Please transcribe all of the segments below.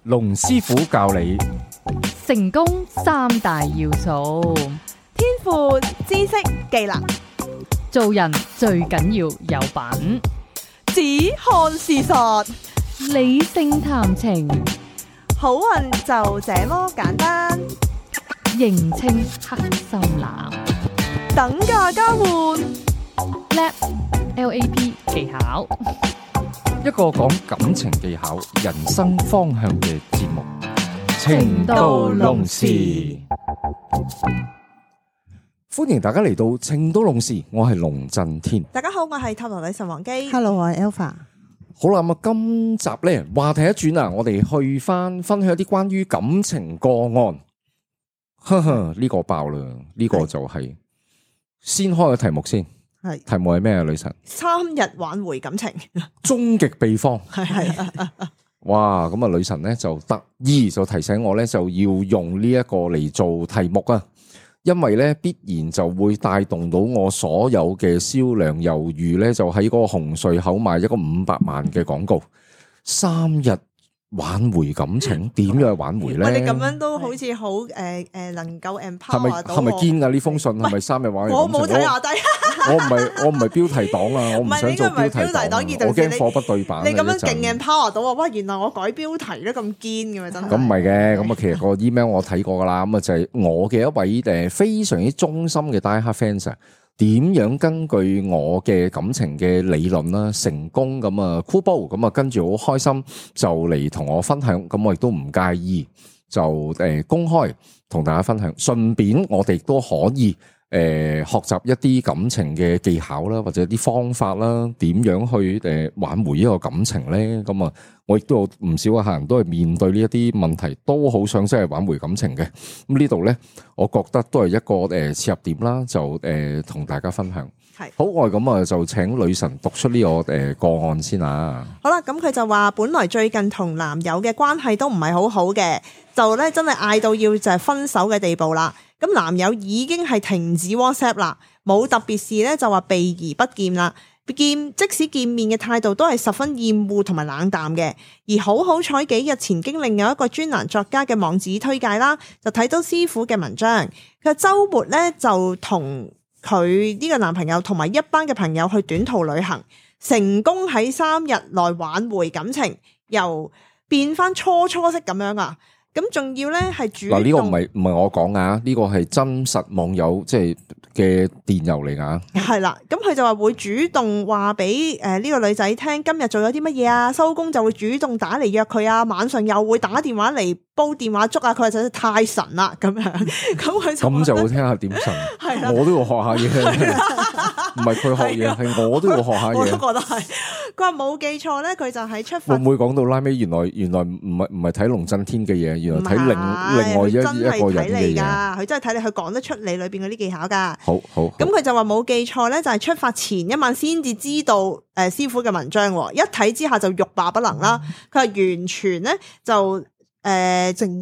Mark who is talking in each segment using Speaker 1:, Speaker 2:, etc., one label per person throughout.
Speaker 1: 龍師傅教你
Speaker 2: 成功三大要素，
Speaker 3: 天賦、知識、技能，
Speaker 2: 做人最緊要有品，
Speaker 3: 只看事實，
Speaker 2: 理性談情，
Speaker 3: 好運就這麼簡單。
Speaker 2: 認清黑心男，
Speaker 3: 等價交換，
Speaker 2: LAP 技巧，
Speaker 1: 一個講感情技巧、人生方向嘅節目《情到濃時》。歡迎大家嚟到《情到濃時》，我係龍震天。
Speaker 3: 大家好，我係塔羅女神王姬。
Speaker 4: Hello， 我係 Alpha。
Speaker 1: 好啦，咁啊，今集咧話題一轉啊，我哋去翻分享一啲關於感情個案。呵呵，呢個爆啦，呢個就係先開個題目先。
Speaker 4: 係
Speaker 1: 題目係咩啊？女神
Speaker 3: 3日挽回感情，
Speaker 1: 終極秘方。
Speaker 3: 係
Speaker 1: 哇，咁啊，女神咧就特意就提醒我咧，就要用呢一個嚟做題目啊，因為咧必然就會帶動到我所有嘅銷量，猶如咧就喺嗰個紅隧口賣一個500萬嘅廣告，3日挽回感情，點樣去挽回咧？
Speaker 3: 你咁樣都好似好能夠 empower 到我。
Speaker 1: 係咪堅啊？呢封信係咪3日挽回感情？
Speaker 3: 我冇睇下低。
Speaker 1: 我唔係標題黨啊，我唔想做標題黨，我驚貨不對版。
Speaker 3: 你咁樣勁 empower 到我，哇！原來我改標題都咁堅嘅嘛，真係。
Speaker 1: 咁唔係嘅，咁啊其實個 email 我睇過噶啦，咁啊就係我嘅一位非常之忠心嘅 die hard fans 啊，點樣根據我嘅感情嘅理論啦，成功咁啊酷煲，咁啊跟住好開心就嚟同我分享，咁我亦都唔介意就公開同大家分享，順便我哋都可以。學習一啲感情嘅技巧啦，或者啲方法啦，點樣去挽回呢個感情咧？咁啊，我亦都有唔少嘅客人都係面對呢一啲問題，都好想真係挽回感情嘅。咁呢度咧，我覺得都係一個切入點啦，就同大家分享。係好，我咁啊，就請女神讀出呢個個案先啊。
Speaker 3: 好啦，咁佢就話本來最近同男友嘅關係都唔係好好嘅，就咧真係嗌到要就係分手嘅地步啦。咁男友已經係停止 WhatsApp 啦，冇特別事咧就話避而不見啦。即使見面嘅態度都係十分厭惡同埋冷淡嘅。而好彩幾日前經另有一個專欄作家嘅網址推介啦，就睇到師傅嘅文章。佢週末咧就同佢呢個男朋友同埋一班嘅朋友去短途旅行，成功喺3日內挽回感情，又變翻初識咁樣啊！咁仲要咧係主動。嗱，
Speaker 1: 呢個唔係我講啊，呢個係真實網友即係嘅電郵嚟噶。
Speaker 3: 係啦，咁佢就話會主動話俾呢個女仔聽今日做咗啲乜嘢啊，收工就會主動打嚟約佢啊，晚上又會打電話嚟煲電話粥啊，佢話真係太神啦咁樣。咁
Speaker 1: 就會聽下點神，我都要學下嘢。唔係佢學嘢，係我都要學下嘢。
Speaker 3: 我都覺得係。佢話冇記錯咧，佢就喺出發。
Speaker 1: 會唔會講到拉尾？原來唔係睇龍震天嘅嘢，原來睇另外一個人嘅嘢。
Speaker 3: 佢真係睇你，佢講得出你裏邊嗰啲技巧噶。
Speaker 1: 好。
Speaker 3: 咁佢就話冇記錯咧，就係出發前一晚先至知道師傅嘅文章，一睇之下就欲罷不能啦。佢話完全咧就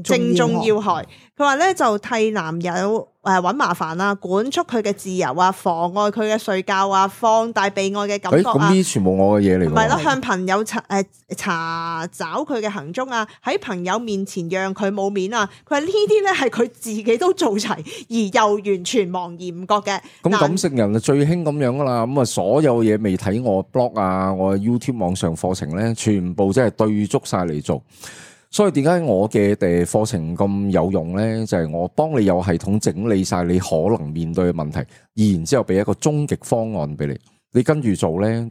Speaker 3: 正中要害。佢話咧就替男友搵麻煩啊，管束佢嘅自由啊，妨礙佢嘅睡覺啊，放大被愛嘅感覺啊。
Speaker 1: 咁呢啲全部我嘅嘢嚟。
Speaker 3: 唔係啦，向朋友查找佢嘅行蹤啊，喺朋友面前讓佢冇面啊。佢話呢啲咧係佢自己都做齊，而又完全茫然唔覺嘅。
Speaker 1: 咁感性人最興咁樣噶啦，咁啊所有嘢未睇我 blog 啊，我 YouTube 網上課程咧，全部真係對足晒嚟做。所以點解我嘅課程咁有用咧？就係我幫你有系統整理晒你可能面對嘅問題，然之後俾一個終極方案俾你，你跟住做咧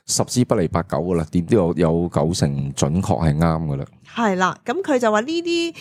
Speaker 1: ，10之不離8九噶啦，點都有9成準確係啱噶啦。係啦，
Speaker 3: 咁佢就話呢啲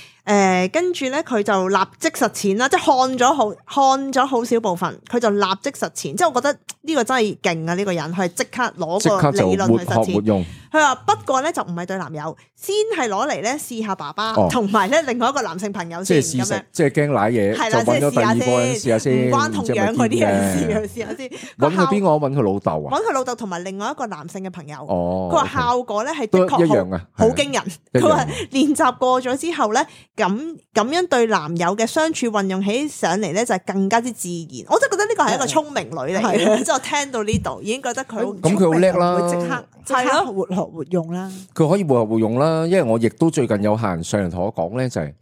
Speaker 3: 跟住咧，佢就立即實踐啦，即係看咗好少部分，佢就立即實踐。即係我覺得呢個真係勁啊！呢個人佢係即刻攞個理論去實踐。佢話不過咧就唔係對男友，先係攞嚟咧試下爸爸，同埋咧另外一個男性朋友先咁樣。
Speaker 1: 即係驚瀨嘢，就揾咗第二個人試下先，
Speaker 3: 唔關同樣嗰啲人試下先。
Speaker 1: 揾佢邊個？揾佢老豆啊？
Speaker 3: 揾佢老豆同埋另外一個男性嘅朋友。佢話效果咧係
Speaker 1: 的確一樣啊，
Speaker 3: 好驚人。佢話練習過咗之後咧，咁樣對男友嘅相處運用起上嚟咧，就係更加之自然。我真係覺得呢個係一個聰明女嚟嘅，真之後聽到呢度已經覺得佢好
Speaker 1: 咁佢好叻啦
Speaker 4: 會即
Speaker 3: 係咯
Speaker 4: 刻活學活用啦。
Speaker 1: 佢可以活學活用啦，因為我亦都最近有客人上嚟同我講咧，就係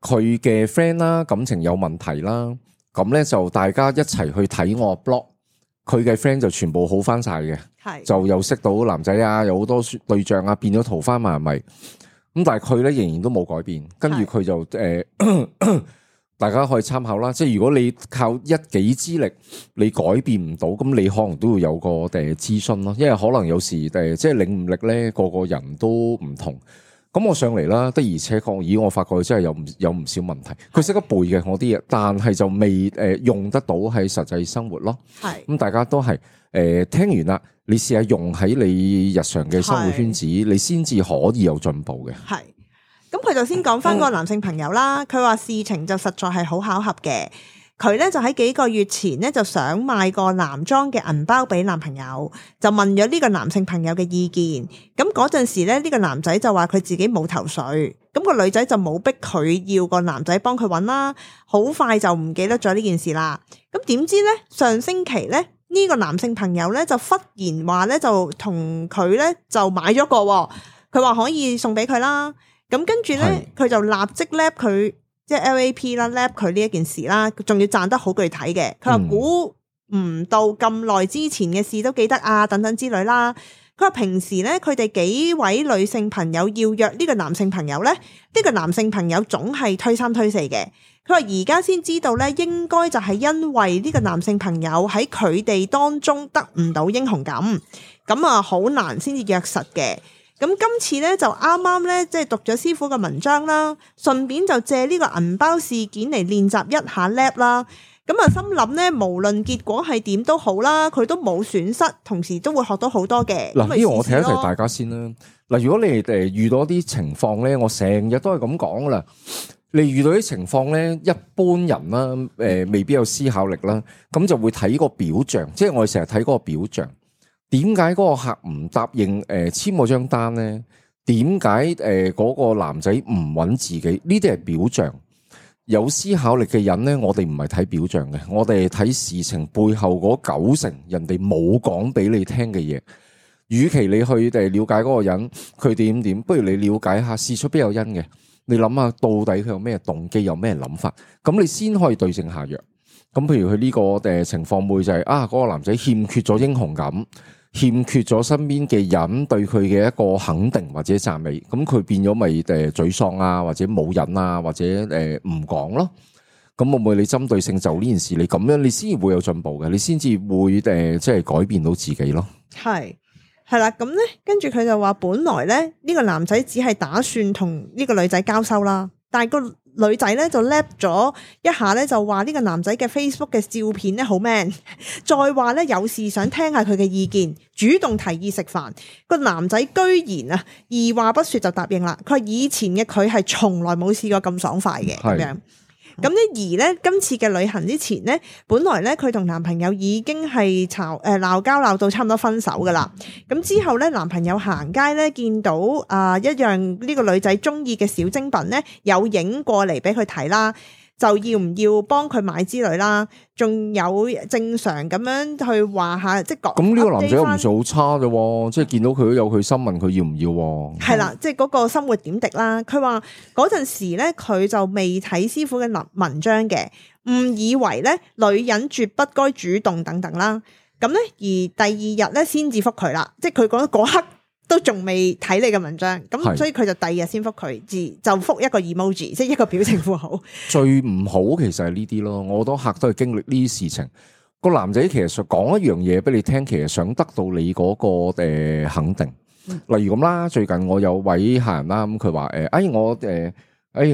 Speaker 1: 佢嘅 friend 啦，感情有問題啦，咁咧就大家一齊去睇我 blog，佢嘅 friend 就全部好翻晒嘅，
Speaker 3: 係
Speaker 1: 就又識到男仔啊，有好多對象啊，變咗桃花麻咪，咁但係佢咧仍然都冇改變，跟住佢就大家可以參考啦。即係如果你靠一己之力，你改變唔到，咁你可能都會有個諮詢咯。因為可能有時即係領悟力咧，個個人都唔同。咁我上嚟啦，的而且確，咦，我發覺佢真係有唔少問題。佢識得背嘅我啲嘢，但係就未用得到喺實際生活咯。
Speaker 3: 係
Speaker 1: 咁大家都係聽完啦，你試下用喺你日常嘅生活圈子，你先至可以有進步嘅。
Speaker 3: 係。咁佢就先講翻個男性朋友啦，佢話事情就實在係好巧合嘅。佢咧就喺幾個月前咧就想買個男裝嘅銀包俾男朋友，就問咗呢個男性朋友嘅意見。咁嗰陣時咧，呢個男仔就話佢自己冇頭緒，咁個女仔就冇逼佢要個男仔幫佢揾啦。好快就唔記得咗呢件事啦。咁點知咧上星期咧呢個男性朋友咧就忽然話咧就同佢咧就買咗個，佢話可以送俾佢啦。咁跟住咧佢就立即 lap 佢。即係 LAP 啦 lap 佢呢一件事啦，仲要賺得好具體嘅。佢話估唔到咁耐之前嘅事都記得啊，等等之類啦。佢話平時咧，佢哋幾位女性朋友要約呢個男性朋友咧，呢個男性朋友總係推三推四嘅。佢話而家先知道咧，應該就係因為呢個男性朋友喺佢哋當中得唔到英雄感，咁啊好難先至約實嘅。咁今次咧就啱啱咧，即係讀咗師傅嘅文章啦，順便就借呢個銀包事件嚟練習一下 lap 啦。咁啊心諗咧，無論結果係點都好啦，佢都冇損失，同時都會學到好多嘅。
Speaker 1: 嗱，呢個我提一提大家先啦。嗱，如果你哋遇到啲情況咧，我成日都係咁講噶啦。你遇到啲情況咧，一般人啦，未必有思考力啦，咁就會睇個表象，即係我哋成日睇嗰個表象。點解嗰個客唔答應簽嗰張單咧？點解嗰個男仔唔揾自己？呢啲係表象。有思考力嘅人咧，我哋唔係睇表象嘅，我哋係睇事情背後嗰90%人哋冇講俾你聽嘅嘢。與其你去了解嗰個人佢點，不如你了解下事出必有因嘅。你諗下到底佢有咩動機，有咩諗法，咁你先可以對症下藥。咁譬如佢呢個情況會就係嗰個男仔欠缺咗英雄感，欠缺咗身邊嘅人對佢嘅一個肯定或者讚美，咁佢變咗咪沮喪啊，或者冇癮啊，或者唔講咯。咁會唔會你針對性就呢件事，你咁樣你先會有進步嘅，你先至會即係改變到自己咯。係
Speaker 3: 啦，咁咧跟住佢就話本來咧呢個男仔只係打算同呢個女仔交收啦，但係個女仔咧就 lap 咗一下咧，就話呢個男仔嘅 Facebook 嘅照片咧好 man， 再話咧有事想聽下佢嘅意見，主動提議食飯。個男仔居然二話不說就答應啦。佢話以前嘅佢係從來冇試過咁爽快嘅咁樣。咁咧而咧今次嘅旅行之前咧，本來咧佢同男朋友已經係鬧交鬧到差唔多分手噶啦。咁之後咧男朋友行街咧見到一樣呢個女仔中意嘅小精品咧，有影過嚟俾佢睇啦，就要唔要幫佢買之類啦，仲有正常咁樣去話下，即係講。咁呢個男仔又唔算好差啫，即係見到佢都有佢心問佢要唔要。係啦，即係嗰個生活點滴啦。佢話嗰陣時咧，佢就未睇師傅嘅文章嘅，誤以為咧女人絕不該主動等等啦。咁咧而第二日咧先至覆佢啦，即係佢覺得嗰刻都仲未睇你嘅文章，咁所以佢就第二日先覆佢，就覆一個 emoji， 即係一個表情符號。最唔好其實係呢啲咯，我好多客都係經歷呢啲事情。個男仔其實想講一樣嘢俾你聽，其實想得到你嗰個肯定。例如咁啦，最近我有位客人啦，咁佢話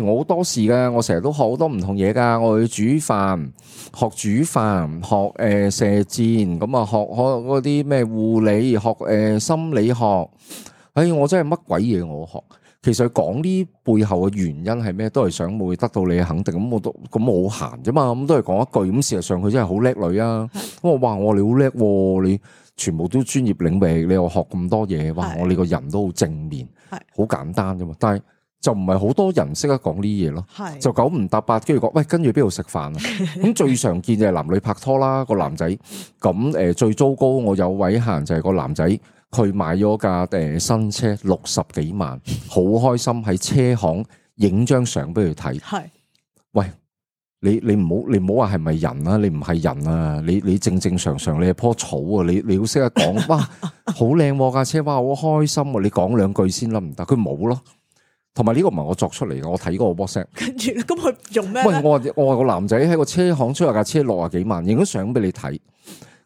Speaker 3: 我好多事噶，我成日都學好多唔同嘢噶，我去煮飯，學煮飯，學射箭，咁啊學嗰啲咩護理，學心理學。我真係乜鬼嘢我學。其實講呢背後嘅原因係咩，都係想會得到你嘅肯定。咁我好閒啫嘛，咁都係講一句。咁事實上佢真係好叻女啊。咁我話你好叻，你全部都專業領域，你又學咁多嘢，哇！我你個人都好正面，好簡單啫嘛。但係
Speaker 1: 就唔係好多人識得講呢啲嘢咯，
Speaker 3: 係
Speaker 1: 就九唔搭八，跟住講喂，跟住邊度食飯啊？咁最常見就係男女拍拖啦，個男仔咁最糟糕，我有位客人就係個男仔，佢買咗架新車60幾萬，好開心喺車行影張相俾佢睇。
Speaker 3: 係
Speaker 1: 喂，你唔好話係咪人啊？你唔係人啊！你正正常常你係棵草啊！你要識得講，哇，好靚架車，哇，好開心啊！你講兩句先啦，唔得，佢冇咯。同埋呢個唔係我作出嚟嘅，我睇過個 WhatsApp。
Speaker 3: 跟住咁佢用咩？
Speaker 1: 喂，我話個男仔喺個車行出下架車60幾萬，影咗相俾你睇。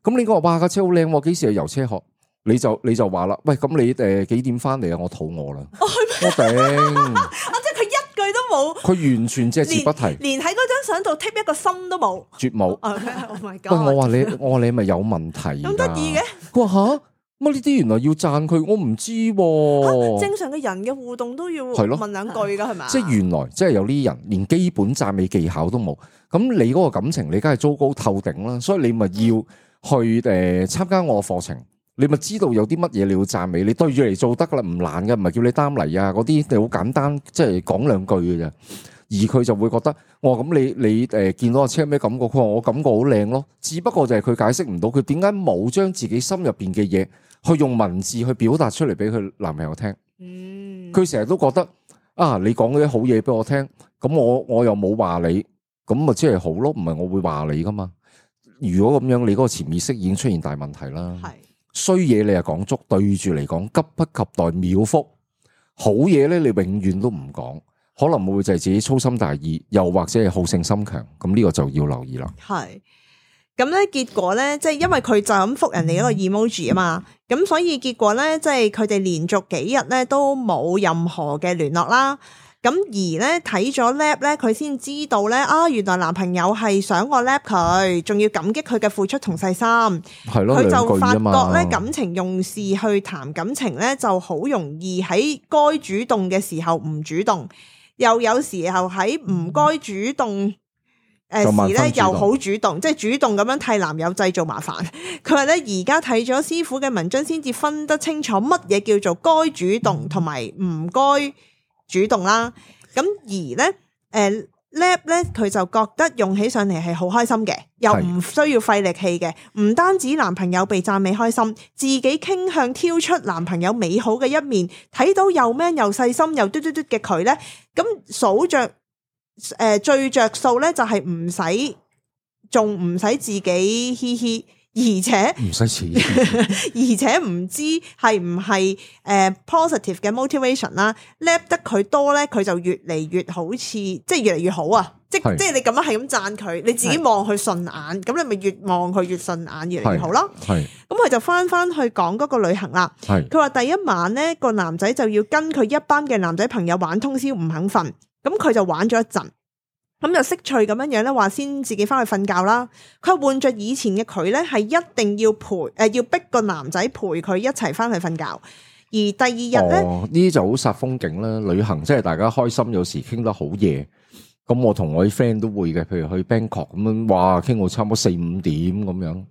Speaker 1: 咁你講話哇架車好靚，幾時去油車學？你就話啦，喂，咁你幾點翻嚟啊？我肚餓啦，我頂。
Speaker 3: 即係佢一句都冇，
Speaker 1: 佢完全隻字不提，
Speaker 3: 連喺嗰張相度貼一個心都冇，
Speaker 1: 絕冇。
Speaker 3: Oh my god！
Speaker 1: 喂，我話你係咪有問題？
Speaker 3: 咁得意嘅？
Speaker 1: 佢話吓？乜呢啲原來要讚佢，我唔知喎。
Speaker 3: 正常嘅人嘅互動都要
Speaker 1: 係咯
Speaker 3: 問兩句噶係咪？
Speaker 1: 即係原來即係有啲人連基本讚美技巧都冇，咁你嗰個感情你梗係糟糕透頂啦，所以你咪要去參加我嘅課程，你咪知道有啲乜嘢你要讚美，你對住嚟做得噶啦，唔難嘅，唔係叫你擔嚟啊嗰啲，你好簡單，即係講兩句嘅啫。而佢就會覺得，我咁你見到個車咩感覺？佢話我感覺好靚咯，只不過就係佢解釋唔到佢點解冇將自己心入邊嘅嘢去用文字去表達出嚟俾佢男朋友聽。佢成日都覺得啊，你講嗰啲好嘢俾我聽，咁我又冇話你，咁咪即係好咯，唔係我會話你噶嘛。如果咁樣，你嗰個潛意識已經出現大問題啦。係衰嘢你係講足，對住嚟講急不及待秒覆，好嘢咧你永遠都唔講。可能會就係自己粗心大意，又或者係好勝心強，咁呢個就要留意啦。
Speaker 3: 係咁咧，結果咧，即係因為佢就咁覆人哋一個 emoji 啊嘛，咁所以結果咧，即係佢哋連續幾日咧都冇任何嘅聯絡啦。咁而咧睇咗 lap 咧，佢先知道咧啊，原來男朋友係想我 lap 佢，仲要感激佢嘅付出同細心。係咯，佢就發覺咧感情用事去談感情咧，就好容易喺該主動嘅時候唔主動。又有時候喺唔該主動時咧，又好主動，即係主動咁樣替男友製造麻煩。佢話咧，而家睇咗師傅嘅文章，先至分得清楚乜嘢叫做該主動同埋唔該主動啦。咁而咧，lap 咧，佢就覺得用起上嚟係好開心嘅，又唔需要費力氣嘅。唔單止男朋友被讚美開心，自己傾向挑出男朋友美好嘅一面，睇到又 man 又細心又嘟嘟嘟嘅佢咧，咁數着最着數咧就係仲唔使自己嘻嘻。而且
Speaker 1: 唔使錢，
Speaker 3: 而且唔知係唔係positive 嘅 motivation 啦，lap 得佢多咧，佢就越嚟越好似，即係越嚟越好啊！即係你咁樣係咁讚佢，你自己望佢順眼，咁你咪越望佢越順眼，越嚟越好咯。係咁佢就翻去講嗰個旅行啦。係佢話第一晚咧，個男仔就要跟佢一班嘅男仔朋友玩通宵，唔肯瞓，咁佢就玩咗一陣。咁就識趣咁樣樣咧，話先自己翻去瞓覺啦。佢換着以前嘅佢咧，係一定要要逼個男仔陪佢一齊翻去瞓覺。而第二日咧，呢
Speaker 1: 啲就好煞風景啦。旅行即係大家開心，有時傾得好夜。咁我同我啲 friend 都會嘅，譬如去 Bangkok 咁樣，哇，傾到差唔多4、5點咁樣。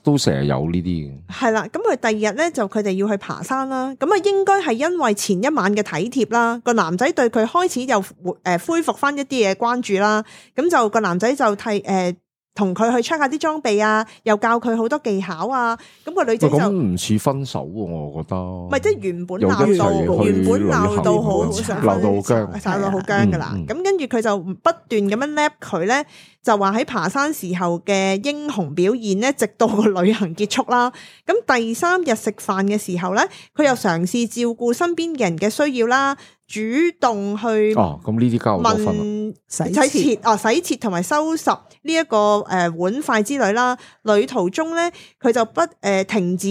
Speaker 1: 都成日有呢啲嘅，係啦。咁佢第二日咧就佢哋要去爬山啦。咁啊，應該係因為前一晚嘅體貼啦，個男仔對佢開始又恢復翻一啲嘢關注啦。咁就個男仔就同佢去 check 下啲裝備啊，又教佢好多技巧啊。咁個女仔就咁唔似分手喎，我覺得。唔係，即係原本鬧到好想鬧到好僵噶啦。咁跟住佢就不斷咁樣 lap 佢咧，就話喺爬山時候嘅英雄表現咧，直到個旅行結束啦。咁第3日食飯嘅時候咧，佢又嘗試照顧身邊嘅人嘅需要啦。主動去咁呢啲交好多分洗切同埋收拾呢一個碗筷之類啦。旅途中咧，佢就不停止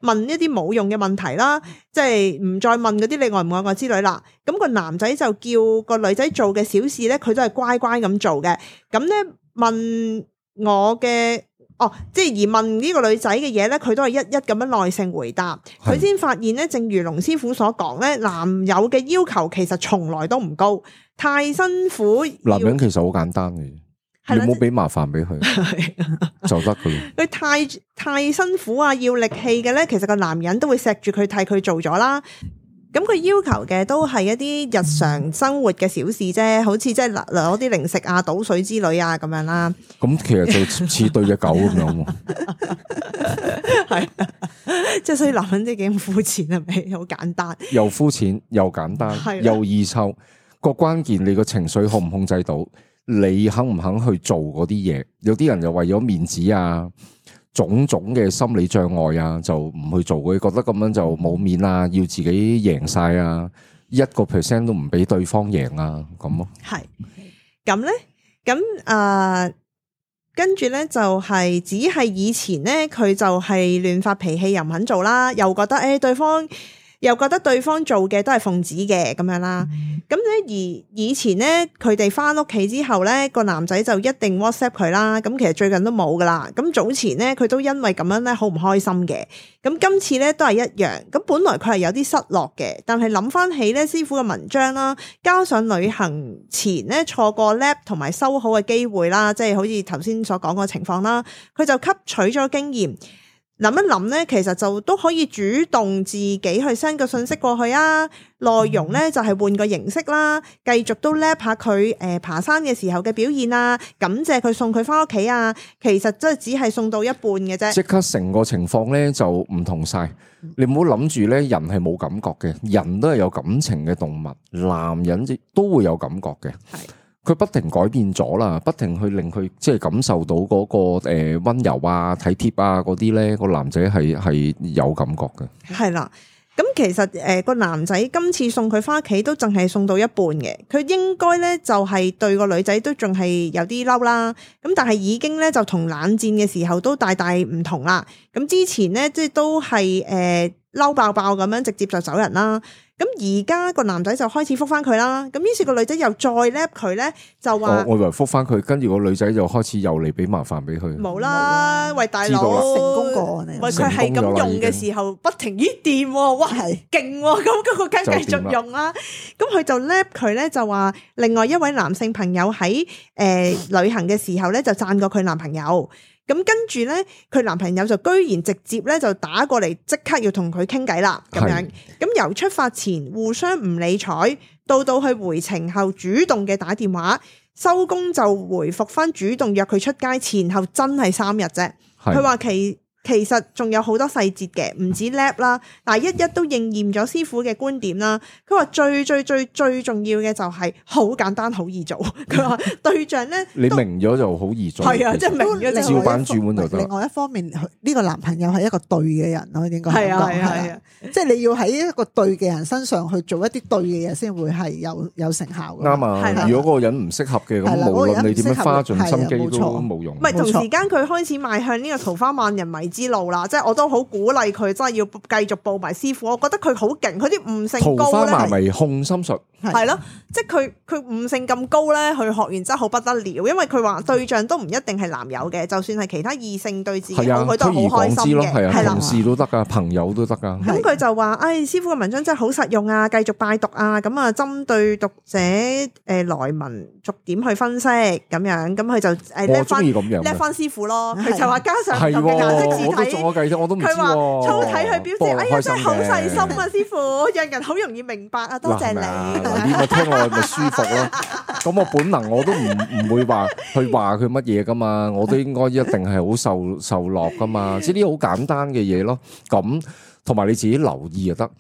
Speaker 1: 問一啲冇用嘅問題啦，即係唔再問嗰啲你愛唔愛我之類啦。咁個男仔就叫個女仔做嘅小事咧，佢都係乖乖咁做嘅。咁咧問我嘅。即係而問呢個女仔嘅嘢咧，佢都係一一咁樣耐性回答。佢先發現咧，正如龍師傅所講咧，男友嘅要求其實從來都唔高，太辛苦。男人其實好簡單嘅，你冇俾麻煩俾佢就得噶啦。佢太辛苦啊，要力氣嘅咧，其實個男人都會錫住佢替佢做咗啦。
Speaker 3: 咁佢要求嘅都係一啲日常生活嘅小事啫，好似即係攞啲零食啊、倒水之類啊咁樣啦。
Speaker 1: 咁其實就似對隻狗咁樣喎。
Speaker 3: 係，即係所以男人啲幾咁膚淺係咪？好簡單，
Speaker 1: 又膚淺又簡單
Speaker 3: 係啦
Speaker 1: 又易臭。個關鍵你個情緒控唔控制到，你肯唔肯去做嗰啲嘢？有啲人就為咗面子啊，種種嘅心理障礙啊，就唔去做，佢覺得咁樣就冇面啊，要自己贏晒啊，1% 都唔俾對方贏啊，咁咯。
Speaker 3: 係咁咧，咁跟住咧就係只係以前咧，佢就係亂發脾氣，又唔肯做啦，又覺得對方做嘅都係奉旨嘅咁樣啦。咁咧而以前咧，佢哋翻屋企之後咧，個男仔就一定 WhatsApp 佢啦。咁其實最近都冇噶啦。咁早前咧，佢都因為咁樣咧好唔開心嘅。咁今次咧都係一樣。咁本來佢係有啲失落嘅，但係諗翻起咧師傅嘅文章啦，加上旅行前咧錯過 lap 同埋修好嘅機會啦，即係好似頭先所講個情況啦，佢就吸取咗經驗。諗一諗咧，其實就都可以主動自己去 send 個信息過去啊。內容咧就係換個形式啦，繼續都 lap 下佢爬山嘅時候嘅表現啊，感謝佢送佢翻屋企啊。其實真係只係送到一半嘅啫，
Speaker 1: 即刻成個情況咧就唔同晒。你唔好諗住咧，人係冇感覺嘅，人都係有感情嘅動物，男人都會有感覺嘅。係。佢不停改變咗啦，不停去令佢即係感受到嗰個溫柔啊、體貼啊嗰啲咧，個男仔係有感覺嘅。係啦，
Speaker 3: 咁其實個男仔今次送佢翻屋企都淨係送到一半嘅，佢應該咧就係對個女仔都仲係有啲嬲啦。咁但係已經咧就同冷戰嘅時候都大大唔同啦。咁之前咧即係都係嬲爆爆咁樣直接就走人啦。咁而家個男仔就開始覆翻佢啦，咁於是個女仔又再 lap 佢咧，就話
Speaker 1: 我以為覆翻佢，跟住個女仔就開始又嚟俾麻煩俾佢。
Speaker 3: 冇啦，喂大佬，
Speaker 4: 成功過你，
Speaker 3: 喂佢係咁用嘅時候不停咦掂喎，哇係勁喎，咁嗰個梗繼續用啦。咁佢就 lap 佢咧，就話另外一位男性朋友喺旅行嘅時候咧，就讚過佢男朋友。咁跟住咧，佢男朋友就居然直接咧就打過嚟，即刻要同佢傾偈啦，咁樣。咁由出發前互相唔理睬，到去回程後主動嘅打電話，收工就回復翻主動約佢出街，前後真係3日啫。佢話其實仲有好多細節嘅，唔止 lap 啦，但係一都應驗咗師傅嘅觀點啦。佢話最重要嘅就係好簡單好易做。佢話對象咧，你
Speaker 1: 明咗就好易做。
Speaker 3: 係啊，即係明咗
Speaker 1: 照板煮碗就得。
Speaker 4: 另外一方面，呢個男朋友係一個對嘅人咯，應該係
Speaker 3: 啊，
Speaker 4: 即係你要喺一個對嘅人身上去做一啲對嘅嘢，先會係有成效。
Speaker 1: 啱啊！如果嗰個人唔適合嘅，咁無論你點樣花盡心機都冇用。
Speaker 3: 唔係同時間佢開始邁向呢個桃花萬人迷之路啦，即係我都好鼓勵佢，真係要繼續報埋師傅。我覺得佢好勁，佢啲悟性高咧。桃花
Speaker 1: 萬迷控心術
Speaker 3: 係咯，即係佢悟性咁高咧，佢學完真係好不得了。因為佢話對象都唔一定係男友嘅，就算係其他異性對自己好，佢都係好開心嘅。
Speaker 1: 係啦，同事都得噶，朋友都得噶。
Speaker 3: 咁佢就話：，師傅嘅文章真係好實用啊，繼續拜讀啊。咁啊，針對讀者來文逐點去分析咁樣。咁佢就
Speaker 1: 我中意咁樣
Speaker 3: 叻翻師傅咯。佢就話加上唔同嘅顏色字體。
Speaker 1: 我都唔知喎。
Speaker 3: 佢話粗體去表示，哎呀真係好細心啊，師傅，讓人好容易明白啊，多謝你。
Speaker 1: 你咪聽我咪舒服咯。咁我本能我都唔會話去話佢乜嘢噶嘛，我都應該一定係好受落噶嘛。即係啲好簡單嘅嘢咯。咁同埋你自己留意就得。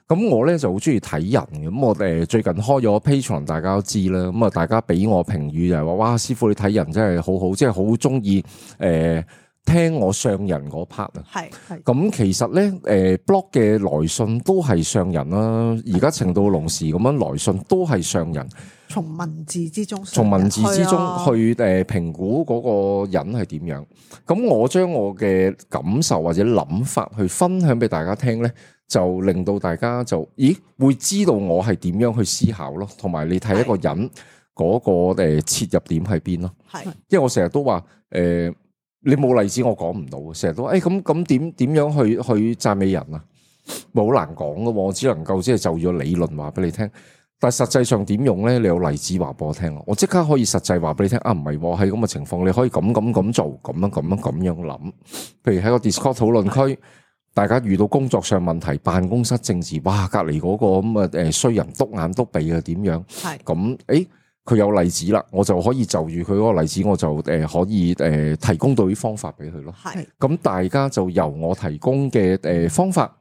Speaker 1: 咁我咧就好中意睇人嘅。咁我最近開咗 Patreon， 大家都知啦。咁啊，大家俾我評語就係話：，哇，師傅你睇人真係好好，即係好中意聽我上人嗰 part 啊，係咁其實咧，blog 嘅來信都係上人啦，而家情到濃時咁樣來信都係上人，
Speaker 4: 從文字之中
Speaker 1: 去評估嗰個人係點樣。咁我將我嘅感受或者諗法去分享俾大家聽咧，就令到大家就會知道我係點樣去思考咯，同埋你睇一個人嗰個切入點喺邊咯。係，因為我成日都話你冇例子我講唔到，成日都咁點樣去讚美人啊？冇好難講噶，我只能夠即係就咗理論話俾你聽。但係實際上點用咧？你有例子話俾我聽，我即刻可以實際話俾你聽。啊，唔係喎，喺咁嘅情況，你可以咁做，咁樣諗。譬如喺個 Discord 討論區大家遇到工作上問題、辦公室政治，哇，隔離嗰個咁啊衰人篤眼篤鼻啊點樣？
Speaker 3: 係
Speaker 1: 咁佢有例子啦，我就可以就住佢嗰個例子，我就可以提供到啲方法俾佢咯。
Speaker 3: 係
Speaker 1: 咁大家就由我提供嘅方法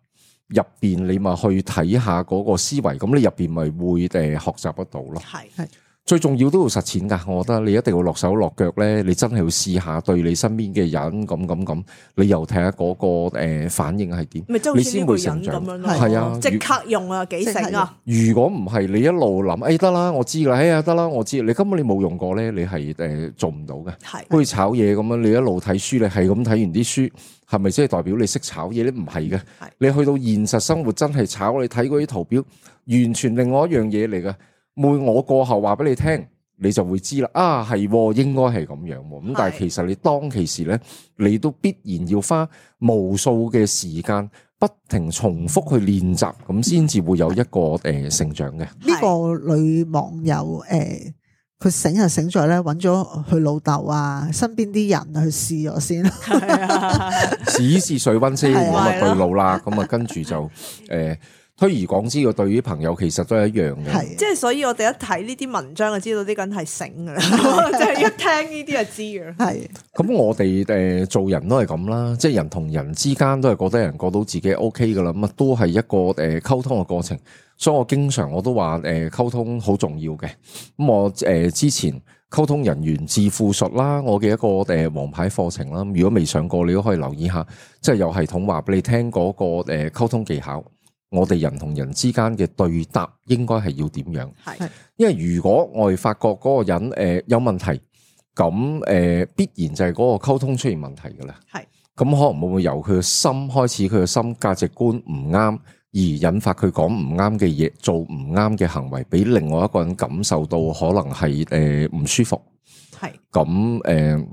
Speaker 1: 入邊，你咪去睇下嗰個思維，咁你入邊咪會學習得到咯。
Speaker 3: 係
Speaker 1: 最重要都要實踐㗎，我覺得你一定要落手落腳咧，你真係要試下對你身邊嘅人咁，你又睇下嗰個反應係點，
Speaker 3: 咪即係好似呢
Speaker 1: 你先
Speaker 3: 個人咁
Speaker 1: 會成長。
Speaker 3: 樣咯。
Speaker 1: 係啊，
Speaker 3: 即刻用啊，幾醒啊！
Speaker 1: 如果唔係你一路諗，得啦，我知啦，得啦，我知，你根本你冇用過咧，你係做唔到嘅。
Speaker 3: 係
Speaker 1: 好似炒嘢咁樣，你一路睇書，你係咁睇完啲書，係咪即係代表你識炒嘢咧？唔係嘅，你去到現實生活真係炒，你睇嗰啲圖表，完全另外一樣嘢嚟嘅。我過後話俾你聽，你就會知啦。係應該係咁樣。咁但係其實你當其時咧，你都必然要花無數嘅時間，不停重複去練習，咁先至會有一個成長嘅。
Speaker 4: 呢個女網友佢醒就醒在咧，揾咗佢老豆啊，身邊啲人去試咗先。
Speaker 1: 試水溫先，咁啊對路啦，咁啊跟住就推而廣之嘅，對於朋友其實都係一樣嘅。
Speaker 3: 即係所以我哋一睇呢啲文章就知道呢個人係醒噶啦，即係一聽呢啲就知嘅。係
Speaker 1: 咁我哋做人都係咁啦，即係人同人之間都係覺得人過到自己 OK 噶啦，咁啊都係一個溝通嘅過程。所以我經常我都話溝通好重要嘅。咁我之前溝通人員致富術啦，我嘅一個王牌課程啦，如果未上過你都可以留意下，即係有系統話俾你聽嗰個溝通技巧。我哋人同人之間嘅對答應該係要點樣？係，因為如果我哋發覺嗰個人有問題，咁必然就係嗰個溝通出現問題㗎啦。係，咁可能會唔會由佢嘅心開始，佢嘅心價值觀唔啱，而引發佢講唔啱嘅嘢，做唔啱嘅行為，俾另外一個人感受到可能係唔舒服。係，咁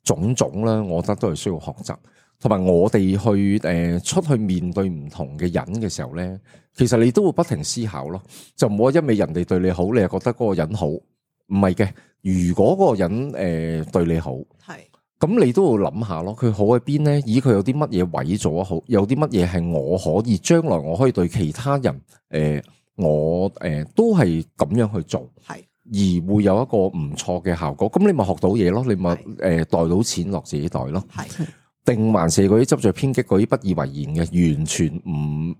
Speaker 1: 種種啦，我覺得都係需要學習。同埋我哋去出去面對唔同嘅人嘅時候咧，其實你都會不停思考咯，就唔好一味人哋對你好，你又覺得嗰個人好，唔係嘅。如果嗰個人對你好，係咁你都要諗下咯，佢好喺邊咧？咦，佢有啲乜嘢位做得好，有啲乜嘢係我可以將來我可以對其他人我都係咁樣去做，係而會有一個唔錯嘅效果。咁你咪學到嘢咯，你咪袋到錢落自己袋咯，係。定還是嗰啲執着偏激嗰啲不以為然嘅，完全唔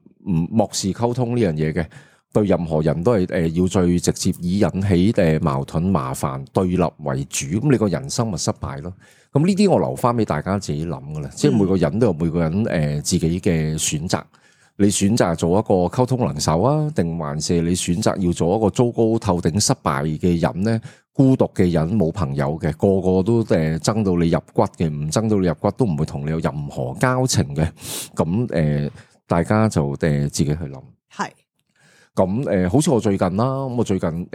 Speaker 1: 漠視溝通呢樣嘢嘅，對任何人都係要最直接以引起矛盾麻煩對立為主，咁你個人生咪失敗咯。咁呢啲我留翻俾大家自己諗噶啦，即係每個人都有每個人自己嘅選擇。你選擇做一個溝通能手啊，定還是你選擇要做一個糟糕透頂失敗嘅人呢？孤獨嘅人，冇朋友嘅，個個都憎到你入骨嘅，唔憎到你入骨都唔會同你有任何交情嘅。咁大家就自己去諗。係。咁好似我最近啦，咁我最近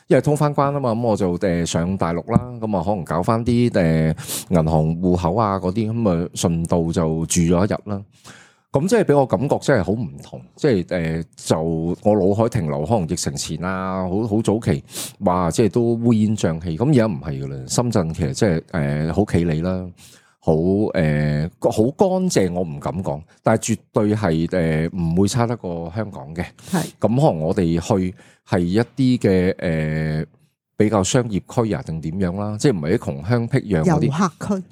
Speaker 1: 因為通翻關啊嘛，咁我就上大陸啦，咁啊可能搞翻啲銀行戶口啊嗰啲，咁啊順道就住咗一日啦。咁即係俾我感覺真係好唔同，即係就我腦海停留可能疫情前啊，好早期，哇！即係都烏煙瘴氣。咁而家唔係噶啦，深圳其實即係好企理啦，好乾淨，我唔敢講，但係絕對係唔會差得過香港嘅。係咁，可能我哋去係一啲嘅比較商業區啊，定點樣啦？即係唔係啲窮鄉僻壤嗰啲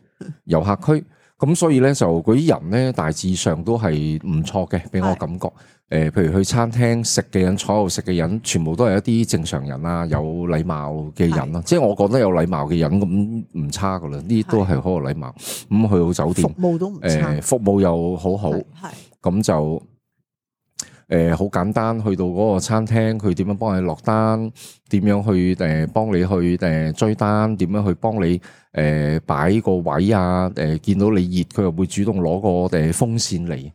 Speaker 1: 遊客區。咁所以咧就嗰啲人咧大致上都係唔錯嘅，俾我感覺。譬如去餐廳食嘅人，坐喺度食嘅人，全部都係一啲正常人啊，有禮貌嘅人啦。即係我覺得有禮貌嘅人咁唔差噶啦，呢啲都係好有禮貌。咁去到酒店，
Speaker 4: 服務都唔差，
Speaker 1: 服務又好好。係咁就好簡單，去到嗰個餐廳，佢點樣幫你落單？點樣去幫你去追單？點樣去幫你擺個位啊？見到你熱，佢又會主動攞個風扇嚟。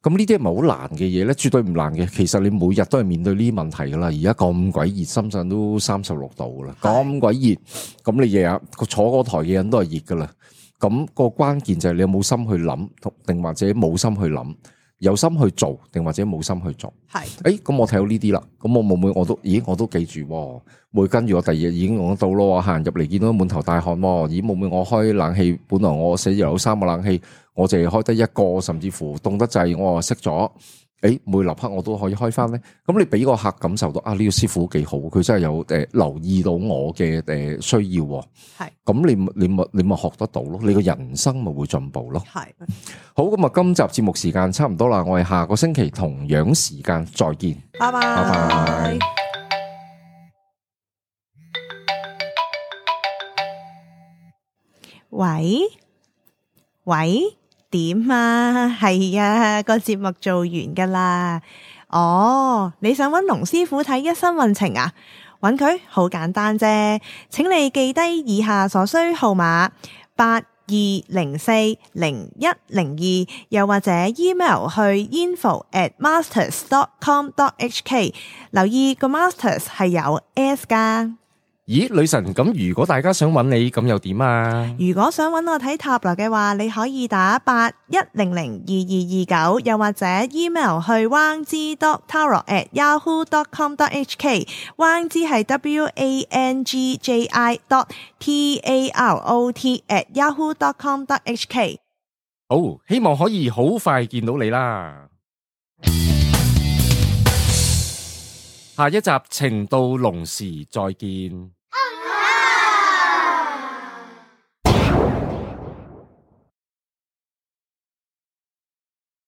Speaker 1: 咁呢啲係咪好難嘅嘢咧？絕對唔難嘅。其實你每日都係面對呢啲問題噶啦。而家咁鬼熱，深圳都36度噶啦，咁鬼熱。咁你日日坐嗰台嘅人都係熱噶啦。咁個關鍵就係你有冇心去諗，定或者冇心去諗。有心去做定或者冇心去做。
Speaker 3: 係
Speaker 1: 咁我睇到呢啲啦，咁我會唔會我都記住喎，會跟住我第二日已經講到咯，行入嚟見到滿頭大汗喎，咦會唔會我開冷氣，本來我寫有3個冷氣，我淨係開得1個，甚至乎凍得滯，我話熄咗。每立刻我都可以開翻咧，咁你俾個客感受到呢個師傅幾好，佢真係有留意到我嘅需要喎。
Speaker 3: 係，
Speaker 1: 咁你咪學得到咯，你個人生咪會進步咯。
Speaker 3: 係，
Speaker 1: 好，咁啊，今集節目時間差唔多啦，我哋下個星期同樣時間再見，
Speaker 3: 拜拜。
Speaker 1: 拜拜。
Speaker 3: 喂，點啊？係啊，個節目做完噶啦。哦，你想揾龍師傅睇一生運程啊？揾佢好簡單啫，請你記低以下所需號碼82040102，又或者 email 去 info@masters.com.hk， 留意個 masters 係有 S 噶。
Speaker 5: 咦，女神，咁如果大家想揾你，咁又點啊？
Speaker 3: 如果想揾我睇塔羅嘅話，你可以打81002229，又或者 email 去 wangji.tarot@yahoo.com.hk， wangji 係 WANGJI.TAROT@yahoo.com.hk。
Speaker 5: 好，希望可以好快見到你啦。下一集情到濃時再見。